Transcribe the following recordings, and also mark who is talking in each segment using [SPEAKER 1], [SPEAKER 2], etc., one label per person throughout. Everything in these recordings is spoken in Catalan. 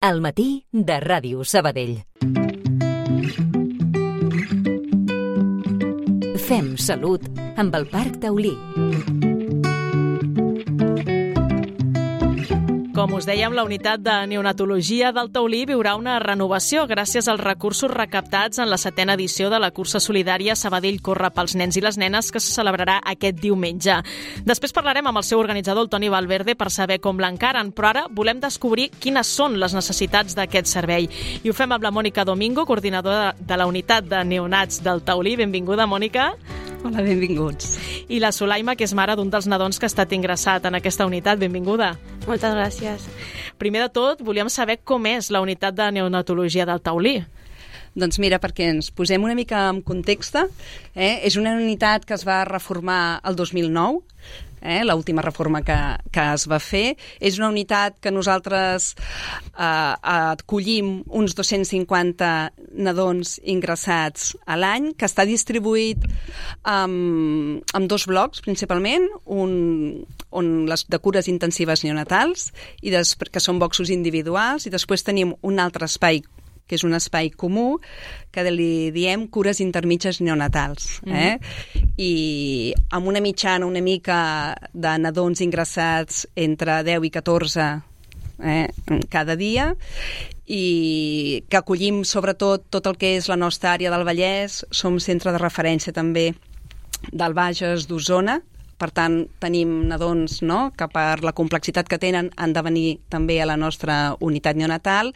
[SPEAKER 1] Al matí de Ràdio Sabadell. Fem salut amb el Parc Taulí.
[SPEAKER 2] Com us dèiem, la unitat de neonatologia del Taulí viurà una renovació gràcies als recursos recaptats en la 7ª edició de la cursa solidària Sabadell Corre pels nens i les nenes, que se celebrarà aquest diumenge. Després parlarem amb el seu organitzador, el Toni Valverde, per saber com l'encaren, però ara volem descobrir quines són les necessitats d'aquest servei. I ho fem amb la Mònica Domingo, coordinadora de la unitat de neonats del Taulí. Benvinguda, Mònica.
[SPEAKER 3] Hola, benvinguts.
[SPEAKER 2] I la Sulaima, que és mare d'un dels nadons que ha estat ingressat en aquesta unitat. Benvinguda.
[SPEAKER 4] Moltes gràcies.
[SPEAKER 2] Primer de tot, volíem saber com és la unitat de neonatologia del Taulí.
[SPEAKER 3] Doncs mira, perquè ens posem una mica en context, és una unitat que es va reformar el 2009, l'última reforma que es va fer. És una unitat que nosaltres acollim uns 250 nadons ingressats a l'any, que està distribuït en dos blocs, principalment, on les de cures intensives neonatals, i que són boxos individuals, i després tenim un altre espai que és un espai comú, que li diem cures intermitges neonatals. I amb una mitjana una mica de nadons ingressats entre 10 i 14 cada dia, i que acollim sobretot tot el que és la nostra àrea del Vallès. Som centre de referència també del Bages, d'Osona. Per tant, tenim nadons que per la complexitat que tenen han de venir també a la nostra unitat neonatal,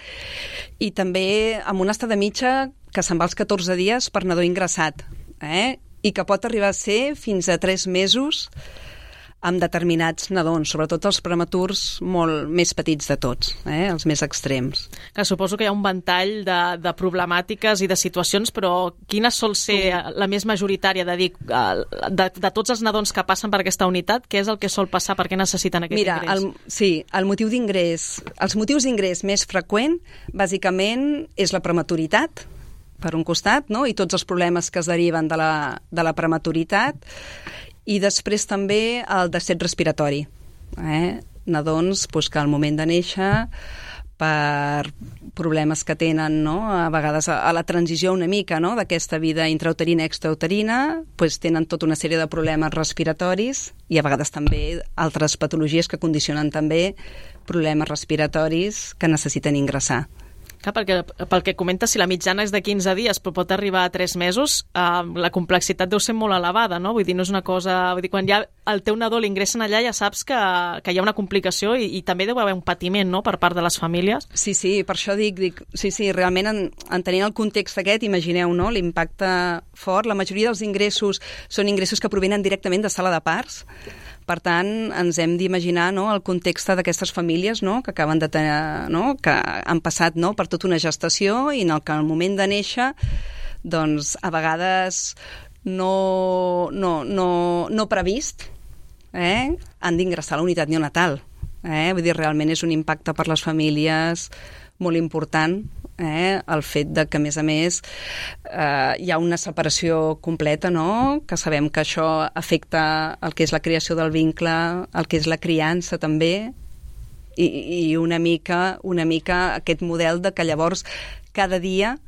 [SPEAKER 3] i també amb una estada mitja que se'n va als 14 dies per nadó ingressat, i que pot arribar a ser fins a 3 mesos amb determinats nadons, sobretot els prematurs molt més petits de tots, els més extrems.
[SPEAKER 2] Que suposo que hi ha un ventall de problemàtiques i de situacions, però quina sol ser la més majoritària de tots els nadons que passen per aquesta unitat? Què és el que sol passar? Per què necessiten aquest ingrés?
[SPEAKER 3] El motiu d'ingrés, els motius d'ingrés més freqüent, bàsicament, és la prematuritat, per un costat, i tots els problemes que es deriven de la prematuritat, i després també el descet respiratori. Nadons que al moment de néixer, per problemes que tenen, a vegades a la transició una mica d'aquesta vida intrauterina i extrauterina, tenen tota una sèrie de problemes respiratoris, i a vegades també altres patologies que condicionen també problemes respiratoris que necessiten ingressar.
[SPEAKER 2] Perquè pel que comenta, si la mitjana és de 15 dies però pot arribar a 3 mesos, la complexitat deu ser molt elevada, no? Vull dir, no és una cosa... Vull dir, quan ja el teu nadó l'ingressen allà ja saps que hi ha una complicació i també deu haver un patiment, no?, per part de les famílies.
[SPEAKER 3] Sí, per això dic, realment entenent el context aquest, imagineu, l'impacte fort. La majoria dels ingressos són ingressos que provenen directament de sala de parts. Per tant, ens hem d'imaginar el context d'aquestes famílies que acaben de tenir, que han passat per tota una gestació, i en el que al moment de néixer, doncs, a vegades no previst, han d'ingressar a la unitat neonatal. Vull dir, realment és un impacte per les famílies molt important, el fet de que, a més, hi ha una separació completa, que sabem que això afecta el que és la creació del vincle, el que és la criança també, i una mica aquest model de que llavors cada dia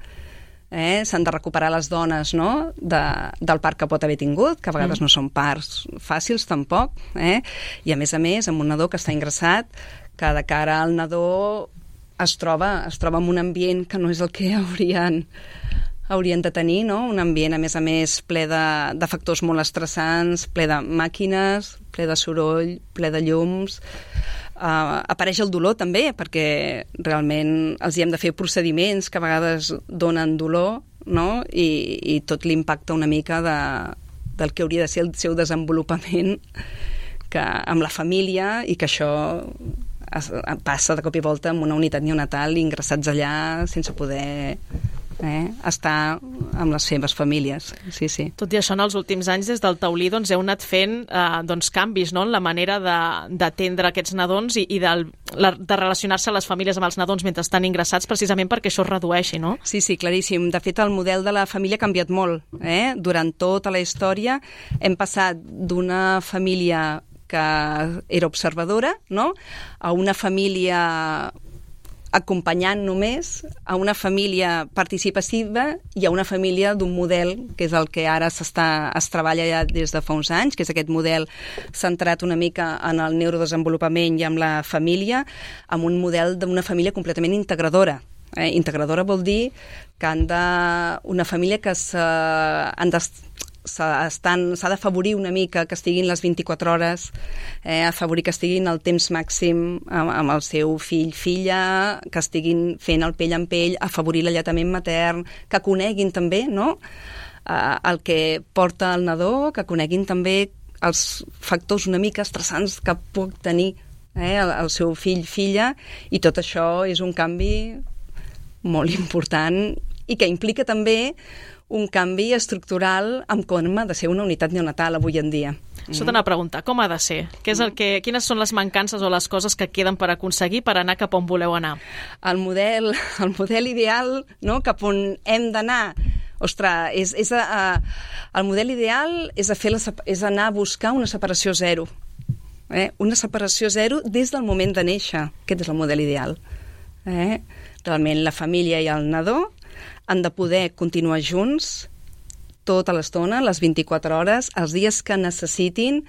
[SPEAKER 3] s'han de recuperar les dones del part que pot haver tingut, que a vegades no són parts fàcils tampoc, i a més, amb un nadó que està ingressat, que de cara al nadó es troba en un ambient que no és el que haurien de tenir, un ambient, a més, ple de factors molt estressants, ple de màquines, ple de soroll, ple de llums. Apareix el dolor també, perquè realment els hi hem de fer procediments que a vegades donen dolor, i tot l'impacte una mica del que hauria de ser el seu desenvolupament amb la família, i que això passa de cop i volta en una unitat neonatal, ingressats allà sense poder estar amb les seves famílies. Sí.
[SPEAKER 2] Tot i això, en els últims anys, des del Taulí, heu anat fent canvis en la manera d'atendre aquests nadons i de relacionar-se a les famílies amb els nadons mentre estan ingressats, precisament perquè això es redueixi, no?
[SPEAKER 3] Sí, claríssim. De fet, el model de la família ha canviat molt. Durant tota la història hem passat d'una família que era observadora, a una família acompanyant només a una família participativa i a una família d'un model, que és el que ara es treballa ja des de fa uns anys, que és aquest model centrat una mica en el neurodesenvolupament i en la família, amb un model d'una família completament integradora. Integradora vol dir que una família que s'ha d'afavorir una mica que estiguin les 24 hores, afavorir que estiguin el temps màxim amb el seu fill, filla, que estiguin fent el pell amb pell, afavorir l'alletament matern, que coneguin també, no?, el que porta el nadó, que coneguin també els factors una mica estressants que pot tenir el seu fill, filla, i tot això és un canvi molt important i que implica també un canvi estructural en com ha de ser una unitat neonatal avui en dia.
[SPEAKER 2] Això t'anava a preguntar, com ha de ser? Quines són les mancances o les coses que queden per aconseguir per anar cap on voleu anar?
[SPEAKER 3] El model ideal, no?, cap on hem d'anar, ostres, el model ideal és anar a buscar una separació zero. Una separació zero des del moment de néixer. Aquest és el model ideal. Realment la família i el nadó han de poder continuar junts tota l'estona, les 24 hores, els dies que necessitin,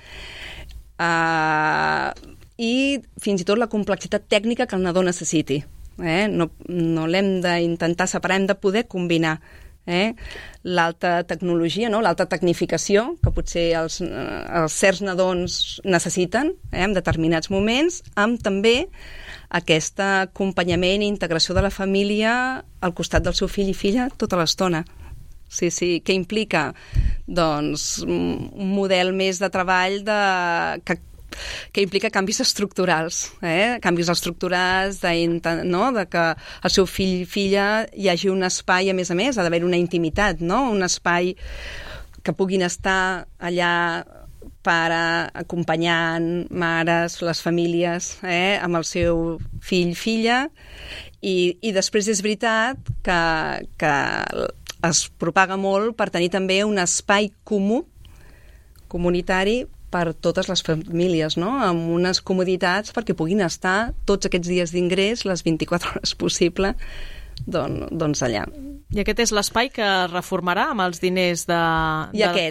[SPEAKER 3] i fins i tot la complexitat tècnica que el nadó necessiti. No l'hem d'intentar separar, hem de poder combinar l'alta tecnologia, no?, l'alta tecnificació que potser els certs nadons necessiten en determinats moments, amb també aquest acompanyament i integració de la família al costat del seu fill i filla tota l'estona. Sí, que implica doncs un model més de treball que implica canvis estructurals, canvis estructurals de que el seu fill i filla hi hagi un espai, a més, ha d'haver una intimitat, no?, un espai que puguin estar allà pare, acompanyant, mares, les famílies, amb el seu fill, filla, i després és veritat que es propaga molt per tenir també un espai comú, comunitari, per totes les famílies, no?, amb unes comoditats perquè puguin estar tots aquests dies d'ingrés, les 24 hores possible, doncs allà.
[SPEAKER 2] I aquest és l'espai que es reformarà amb els diners de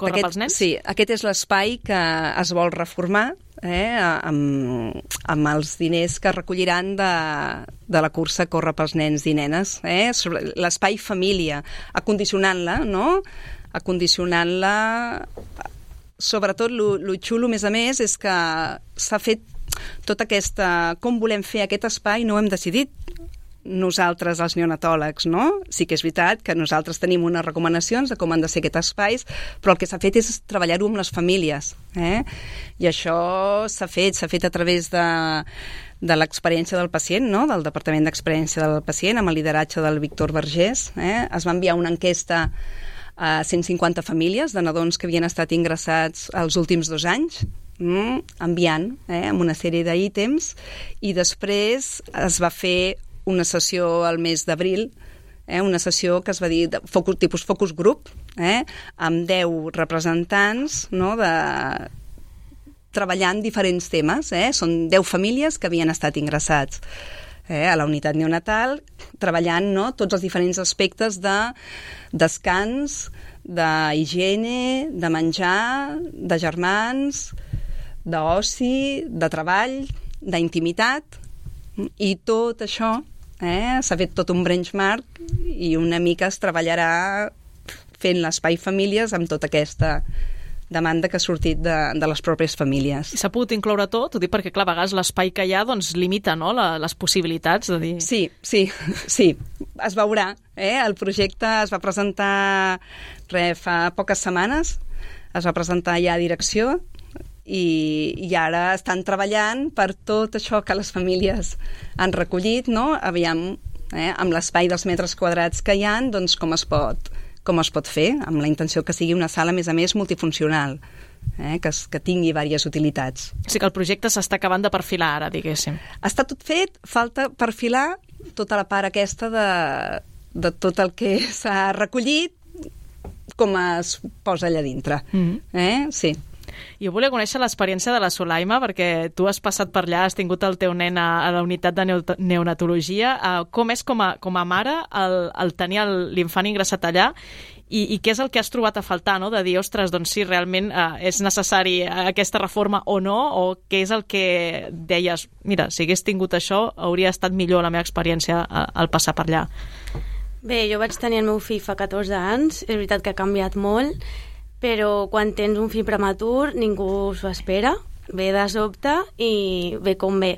[SPEAKER 2] Corre pels Nens?
[SPEAKER 3] Sí, aquest és l'espai que es vol reformar amb els diners que recolliran de la cursa Corre pels Nens i Nenes. L'espai família, acondicionant-la, no?, acondicionant-la. Sobretot, lo xulo, a més, és que s'ha fet tota aquesta... Com volem fer aquest espai no ho hem decidit nosaltres, els neonatòlegs, no? Sí que és veritat que nosaltres tenim unes recomanacions de com han de ser aquests espais, però el que s'ha fet és treballar-ho amb les famílies. I això s'ha fet a través de l'experiència del pacient, no?, del Departament d'Experiència del Pacient, amb el lideratge del Víctor Vergés. Es va enviar una enquesta a 150 famílies de nadons que havien estat ingressats els últims 2 anys, enviant amb una sèrie d'ítems, i després es va fer una sessió al mes d'abril, una sessió que es va dir tipus focus group, amb 10 representants, no?, treballant diferents temes. Són 10 famílies que havien estat ingressats a la unitat neonatal, treballant, no?, tots els diferents aspectes de descans, d'higiene, de menjar, de germans, d'oci, de treball, d'intimitat, i tot això s'ha fet tot un benchmark i una mica es treballarà fent l'espai famílies amb tota aquesta demanda que ha sortit de les pròpies famílies.
[SPEAKER 2] I s'ha pogut incloure tot? Ho dic perquè, clar, a vegades l'espai que hi ha limita, no?, les possibilitats de dir...
[SPEAKER 3] Sí, es veurà. El projecte es va presentar fa poques setmanes, es va presentar ja a direcció, i ara estan treballant per tot això que les famílies han recollit, no? Aviam, amb l'espai dels metres quadrats que hi ha, doncs com es pot fer, amb la intenció que sigui una sala, a més, multifuncional, que tingui diverses utilitats.
[SPEAKER 2] O sigui que el projecte s'està acabant de perfilar ara, diguéssim.
[SPEAKER 3] Està tot fet, falta perfilar tota la part aquesta de tot el que s'ha recollit, com es posa allà dintre. Sí.
[SPEAKER 2] Jo volia conèixer l'experiència de la Solaima, perquè tu has passat per allà, has tingut el teu nen a la unitat de neonatologia. Com és com a mare el tenir l'infant ingressat allà i què és el que has trobat a faltar, no? De dir, ostres, doncs sí, realment és necessari aquesta reforma o no, o què és el que deies, mira, si hagués tingut això hauria estat millor la meva experiència al passar per allà.
[SPEAKER 4] Bé, jo vaig tenir el meu fill fa 14 anys, és veritat que ha canviat molt, però quan tens un fill prematur ningú s'ho espera, ve de sobte i ve com ve.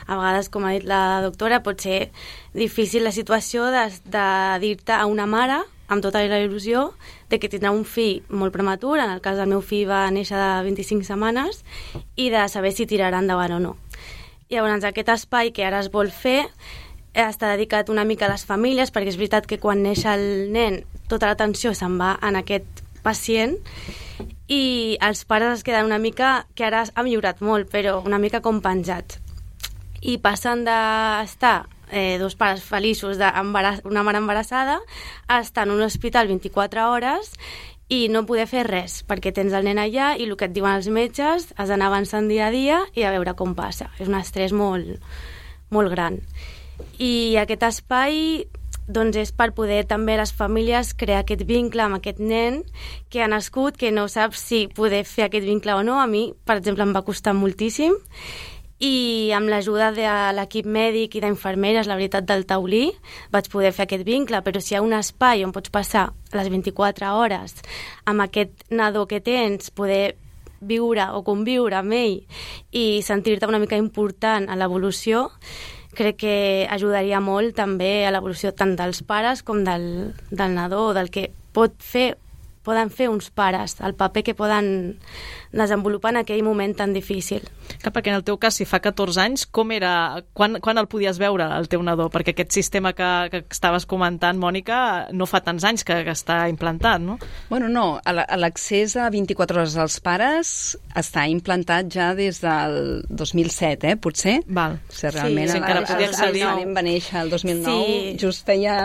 [SPEAKER 4] A vegades, com ha dit la doctora, pot ser difícil la situació de dir-te a una mare, amb tota la il·lusió, de que tindrà un fill molt prematur, en el cas del meu fill va néixer de 25 setmanes, i de saber si tirarà endavant o no. Llavors, aquest espai que ara es vol fer està dedicat una mica a les famílies, perquè és veritat que quan neix el nen tota l'atenció se'n va en aquest pacient i els pares es queden una mica, que ara ha millorat molt, però una mica com penjats. I passen d'estar dos pares feliços d'una mare embarassada a estar en un hospital 24 hores i no poder fer res, perquè tens el nen allà i el que et diuen els metges has d'anar avançant dia a dia i a veure com passa. És un estrès molt, molt gran. I aquest espai doncs és per poder també les famílies crear aquest vincle amb aquest nen que ha nascut, que no saps si poder fer aquest vincle o no. A mi, per exemple, em va costar moltíssim i amb l'ajuda de l'equip mèdic i d'infermeres, la veritat, del taulí, vaig poder fer aquest vincle, però si hi ha un espai on pots passar les 24 hores amb aquest nadó que tens, poder viure o conviure amb ell i sentir-te una mica important a l'evolució, crec que ajudaria molt també a l'evolució tant dels pares com del nadó, o del que poden fer uns pares, el paper que poden desenvolupar en aquell moment tan difícil.
[SPEAKER 2] Clar, perquè en el teu cas, si fa 14 anys, com era, quan el podies veure, el teu nadó? Perquè aquest sistema que estaves comentant, Mònica, no fa tants anys que està implantat, no?
[SPEAKER 3] Bueno, no, l'accés a 24 hores als pares està implantat ja des del 2007, potser?
[SPEAKER 2] Val.
[SPEAKER 3] O sigui, realment,
[SPEAKER 2] sí, encara podia accedir.
[SPEAKER 3] El nen va néixer el 2009,
[SPEAKER 4] sí.
[SPEAKER 3] Just feia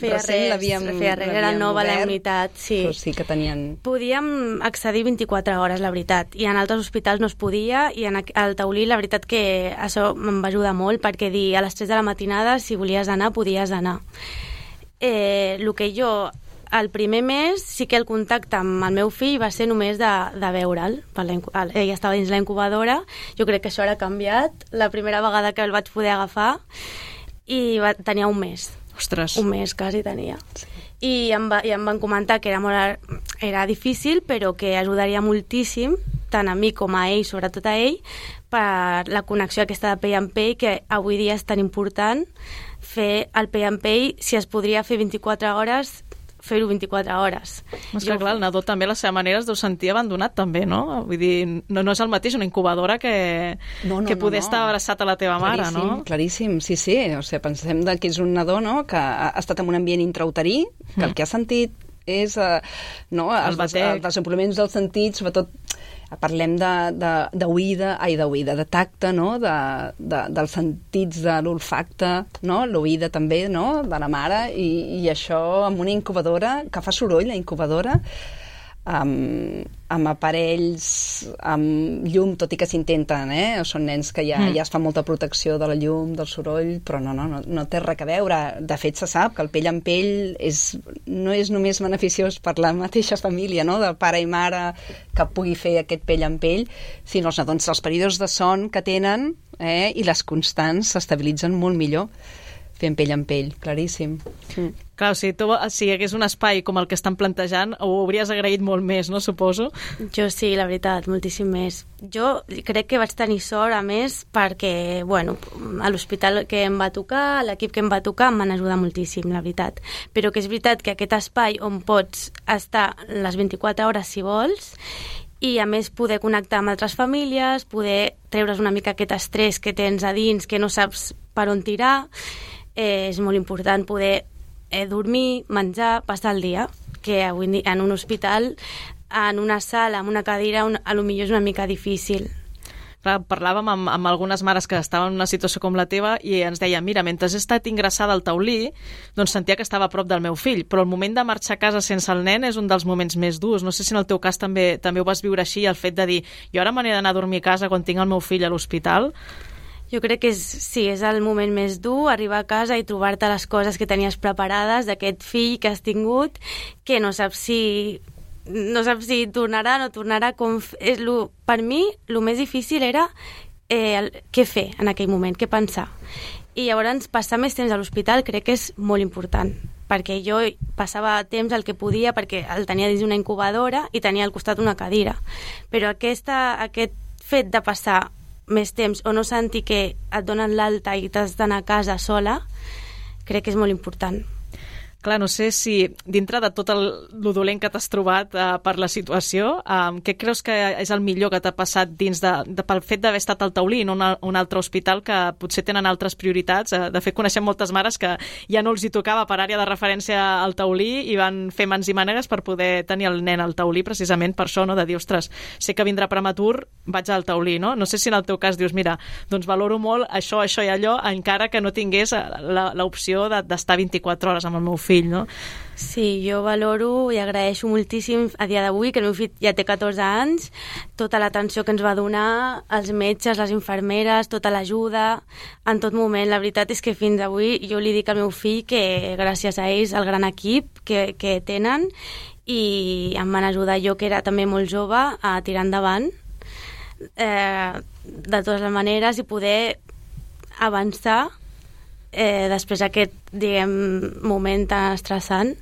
[SPEAKER 3] recent l'havíem
[SPEAKER 4] era nova la unitat, sí.
[SPEAKER 3] Però sí que tenien...
[SPEAKER 4] Podíem accedir 24 hores, la veritat, i en altres hospitals no es podia, i al taulí la veritat que això em va ajudar molt, perquè dir a les 3 de la matinada si volies anar, podies anar. El que jo, el primer mes, sí que el contacte amb el meu fill va ser només de veure'l. Ell estava dins la incubadora, jo crec que això ara ha canviat, la primera vegada que el vaig poder agafar, i tenia un mes.
[SPEAKER 2] Ostres.
[SPEAKER 4] Un mes quasi tenia. I em van comentar que era difícil, però que ajudaria moltíssim, tant a mi com a ell, sobretot a ell, per la connexió aquesta de pell amb pell, que avui dia és tan important fer el pell amb pell. Si es podria fer 24 hores, fer-ho 24 hores.
[SPEAKER 2] És que, clar, el nadó també a la seva manera es deu sentir abandonat també, no? Vull dir, no és el mateix una incubadora que poder estar abraçat a la teva mare, no?
[SPEAKER 3] Claríssim, sí. O sigui, pensem que és un nadó, no?, que ha estat en un ambient intrauterí, que el que ha sentit és els desenvolupaments del sentit, sobretot parlem d'oïda, de tacte, no?, dels sentits de l'olfacte, no?, l'oïda també, no?, de la mare, i això amb una incubadora, que fa soroll, la incubadora, amb aparells, amb llum, tot i que s'intenten, són nens que ja es fa molta protecció de la llum, del soroll, però no té res a veure. De fet, se sap que el pell amb pell no és només beneficiós per la mateixa família, no?, de pare i mare, que pugui fer aquest pell amb pell, sinó els períodes de son que tenen i les constants s'estabilitzen molt millor fent pell amb pell, claríssim.
[SPEAKER 2] Clar, si hi hagués un espai com el que estan plantejant, ho hauries agraït molt més, no, suposo?
[SPEAKER 4] Jo sí, la veritat, moltíssim més. Jo crec que vaig tenir sort, a més, perquè, bueno, a l'hospital que em va tocar, l'equip que em va tocar, em van ajudar moltíssim, la veritat. Però que és veritat que aquest espai on pots estar les 24 hores si vols, i a més poder connectar amb altres famílies, poder treure's una mica aquest estrès que tens a dins, que no saps per on tirar, és molt important poder dormir, menjar, passar el dia, que avui en un hospital, en una sala, en una cadira, a lo millor és una mica difícil.
[SPEAKER 2] Parlàvem amb algunes mares que estaven en una situació com la teva i ens deien, mira, mentre he estat ingressada al taulí, doncs sentia que estava a prop del meu fill, però el moment de marxar a casa sense el nen és un dels moments més durs. No sé si en el teu cas també ho vas viure així, el fet de dir, jo ara me n'he d'anar a dormir a casa quan tinc el meu fill a l'hospital.
[SPEAKER 4] Jo crec que és el moment més dur, arribar a casa i trobar-te les coses que tenies preparades d'aquest fill que has tingut, que no saps si tornarà o no tornarà. Per mi, el més difícil era què fer en aquell moment, què pensar. I llavors passar més temps a l'hospital crec que és molt important, perquè jo passava temps el que podia, perquè el tenia dins d'una incubadora i tenia al costat una cadira. Però aquest fet de passar més temps o no sentir que et donen l'alta i t'has d'anar a casa sola, crec que és molt important.
[SPEAKER 2] Clar, no sé si dintre de tot el dolent que t'has trobat per la situació, què creus que és el millor que t'ha passat dins pel fet d'haver estat al taulí i no un altre hospital que potser tenen altres prioritats? De fet, coneixem moltes mares que ja no els hi tocava per àrea de referència al taulí i van fer mans i mànegues per poder tenir el nen al taulí, precisament per això, no? De dir, ostres, sé que vindrà prematur, vaig al taulí, no? No sé si en el teu cas dius, mira, doncs valoro molt això i allò, encara que no tingués l'opció d'estar 24 hores amb el meu fill, no?
[SPEAKER 4] Sí, jo valoro i agraeixo moltíssim a dia d'avui, que el meu fill ja té 14 anys, tota l'atenció que ens va donar, els metges, les infermeres, tota l'ajuda, en tot moment. La veritat és que fins avui jo li dic al meu fill que gràcies a ells, el gran equip que tenen, i em van ajudar, jo que era també molt jove, a tirar endavant de totes les maneres i poder avançar després d'aquest, moment tan estressant.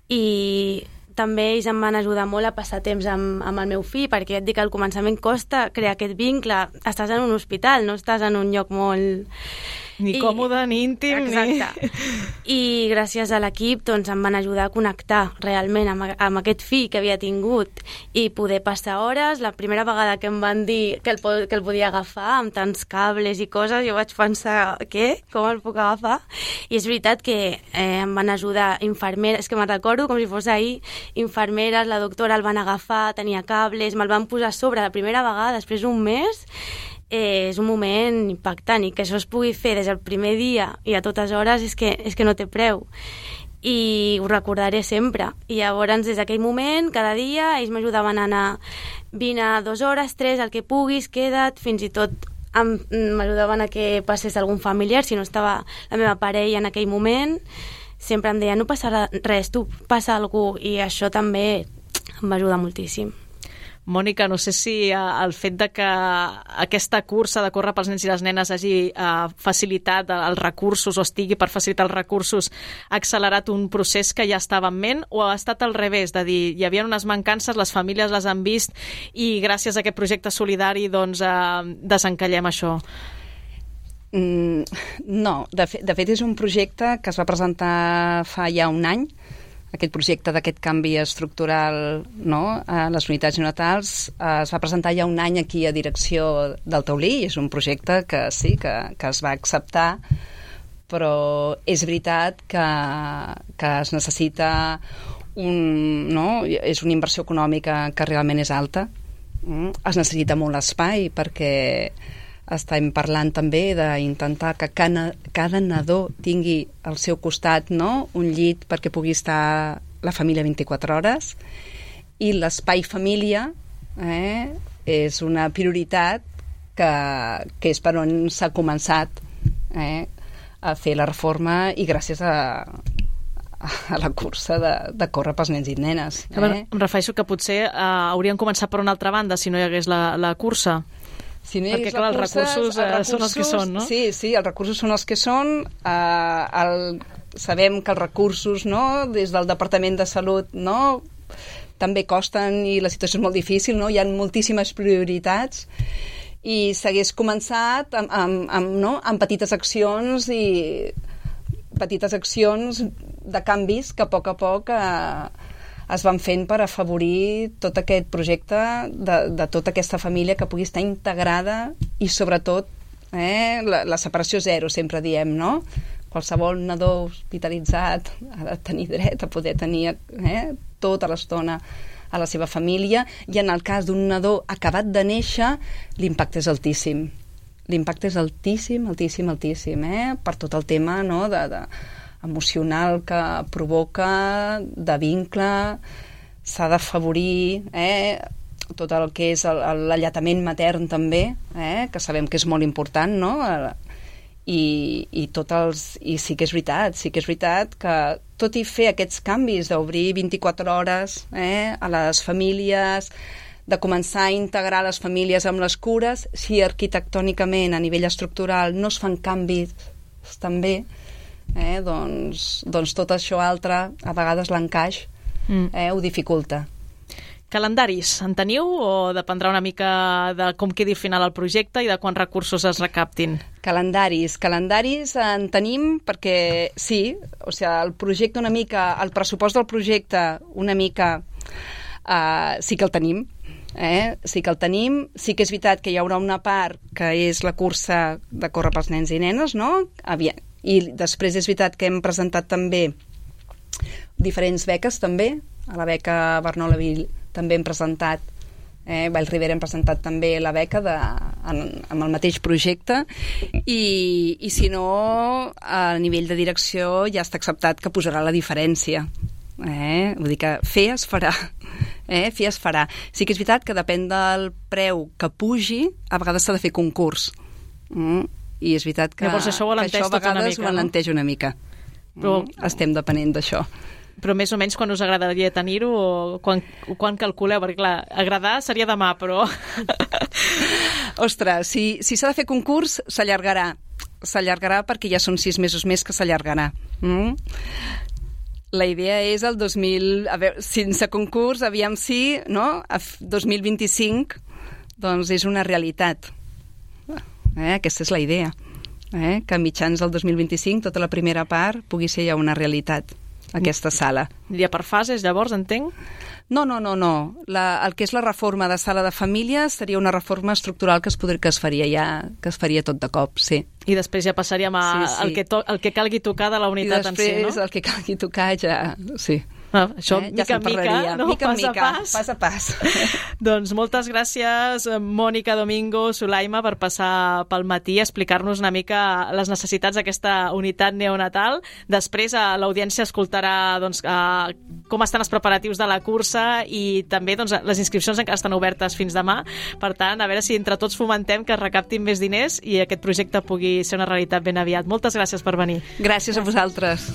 [SPEAKER 4] I també ells em van ajudar molt a passar temps amb el meu fill, perquè et dic que al començament costa crear aquest vincle. Estàs en un hospital, no estàs en un lloc molt...
[SPEAKER 2] Ni còmode, ni íntim.
[SPEAKER 4] Exacte. I gràcies a l'equip doncs, em van ajudar a connectar realment amb aquest fill que havia tingut i poder passar hores. La primera vegada que em van dir que el podia agafar amb tants cables i coses, jo vaig pensar, què? Com el puc agafar? I és veritat que em van ajudar infermeres, és que me'n recordo com si fos ahir, infermeres, la doctora el van agafar, tenia cables, me'l van posar a sobre la primera vegada, després d'un mes. És un moment impactant i que això es pugui fer des del primer dia i a totes hores és que no té preu, i ho recordaré sempre. I llavors des d'aquell moment, cada dia ells m'ajudaven a anar, vine a 2 hores, 3, el que puguis, queda't, fins i tot m'ajudaven a que passés algun familiar si no estava la meva parella en aquell moment. Sempre em deia, no passarà res, tu passa algú, i això també em va ajudar moltíssim.
[SPEAKER 2] Mònica, no sé si el fet de que aquesta cursa de córrer pels nens i les nenes hagi facilitat els recursos o estigui per facilitar els recursos, ha accelerat un procés que ja estava en ment, o ha estat al revés, de dir, hi havia unes mancances, les famílies les han vist i gràcies a aquest projecte solidari doncs desencallem això?
[SPEAKER 3] No, de fet és un projecte que es va presentar fa ja un any, aquest projecte d'aquest canvi estructural, no?, a les unitats neonatals. Es va presentar ja un any aquí a direcció del taulí, i és un projecte que sí, que es va acceptar, però és veritat que es necessita és una inversió econòmica que realment és alta. Es necessita molt espai, perquè estem parlant també d'intentar que cada nadó tingui al seu costat, no?, un llit perquè pugui estar la família 24 hores, i l'espai família és una prioritat que és per on s'ha començat a fer la reforma, i gràcies a la cursa de córrer pels nens i nenes.
[SPEAKER 2] Em refereixo que potser haurien començat per una altra banda si no hi hagués la cursa.
[SPEAKER 3] Si no
[SPEAKER 2] perquè, clar, els recursos són els que són, no?
[SPEAKER 3] Sí, els recursos són els que són. Sabem que els recursos, no?, des del Departament de Salut, no?, també costen, i la situació és molt difícil, no?, hi ha moltíssimes prioritats, i s'hagués començat amb petites accions de canvis que a poc es van fent per afavorir tot aquest projecte de tota aquesta família que pugui estar integrada, i sobretot la separació zero, sempre diem, no? Qualsevol nadó hospitalitzat ha de tenir dret a poder tenir tota l'estona a la seva família, i en el cas d'un nadó acabat de néixer, l'impacte és altíssim. L'impacte és altíssim, per tot el tema, no?, emocional que provoca, de vincle, s'ha d'afavorir, tot el que és l'alletament matern també, que sabem que és molt important, no?, i sí que és veritat que tot i fer aquests canvis d'obrir 24 hores a les famílies, de començar a integrar les famílies amb les cures, si arquitectònicament a nivell estructural no es fan canvis també, doncs tot això altre, a vegades l'encaix ho dificulta.
[SPEAKER 2] Calendaris, en teniu o dependrà una mica de com quedi final el projecte i de quants recursos es recaptin?
[SPEAKER 3] Calendaris en tenim perquè sí, o sigui, el projecte una mica, el pressupost del projecte una mica sí que el tenim, sí que és veritat que hi haurà una part que és la cursa de córrer pels nens i nenes, no? I després és veritat que hem presentat també diferents beques també, a la beca Bernol Avill també hem presentat, Vall Ribera hem presentat també la beca amb el mateix projecte i si no, a nivell de direcció ja està acceptat que posarà la diferència. Vull dir que fer es farà. Sí que és veritat que depèn del preu que pugi, a vegades s'ha de fer concurs. I és veritat que
[SPEAKER 2] això a
[SPEAKER 3] vegades ho alenteix una mica. Però estem depenent d'això.
[SPEAKER 2] Però més o menys quan us agradaria tenir-ho o quan calculeu? Perquè clar, agradar seria demà, però...
[SPEAKER 3] Ostres, si s'ha de fer concurs, s'allargarà. S'allargarà perquè ja són 6 mesos més que s'allargarà. La idea és el 2000... A veure, sense concurs, aviam si, no? 2025, doncs és una realitat. Aquesta és la idea. Que a mitjans del 2025 tota la primera part pugui ser ja una realitat. Aquesta sala.
[SPEAKER 2] Diria per fases, llavors, entenc?
[SPEAKER 3] No. El que és la reforma de sala de famílies seria una reforma estructural que es faria tot de cop, sí.
[SPEAKER 2] I després ja passaríem al que calgui tocar de la unitat en si, no?
[SPEAKER 3] I després el que calgui tocar ja... Sí.
[SPEAKER 2] Això mica en mica, no?
[SPEAKER 3] Pas a pas.
[SPEAKER 2] Doncs moltes gràcies, Mònica Domingo, Sulaima, per passar pel matí a explicar-nos una mica les necessitats d'aquesta unitat neonatal. Després l'audiència escoltarà com estan els preparatius de la cursa i també les inscripcions encara estan obertes fins demà. Per tant, a veure si entre tots fomentem que es recaptin més diners i aquest projecte pugui ser una realitat ben aviat. Moltes gràcies per venir.
[SPEAKER 3] Gràcies a vosaltres.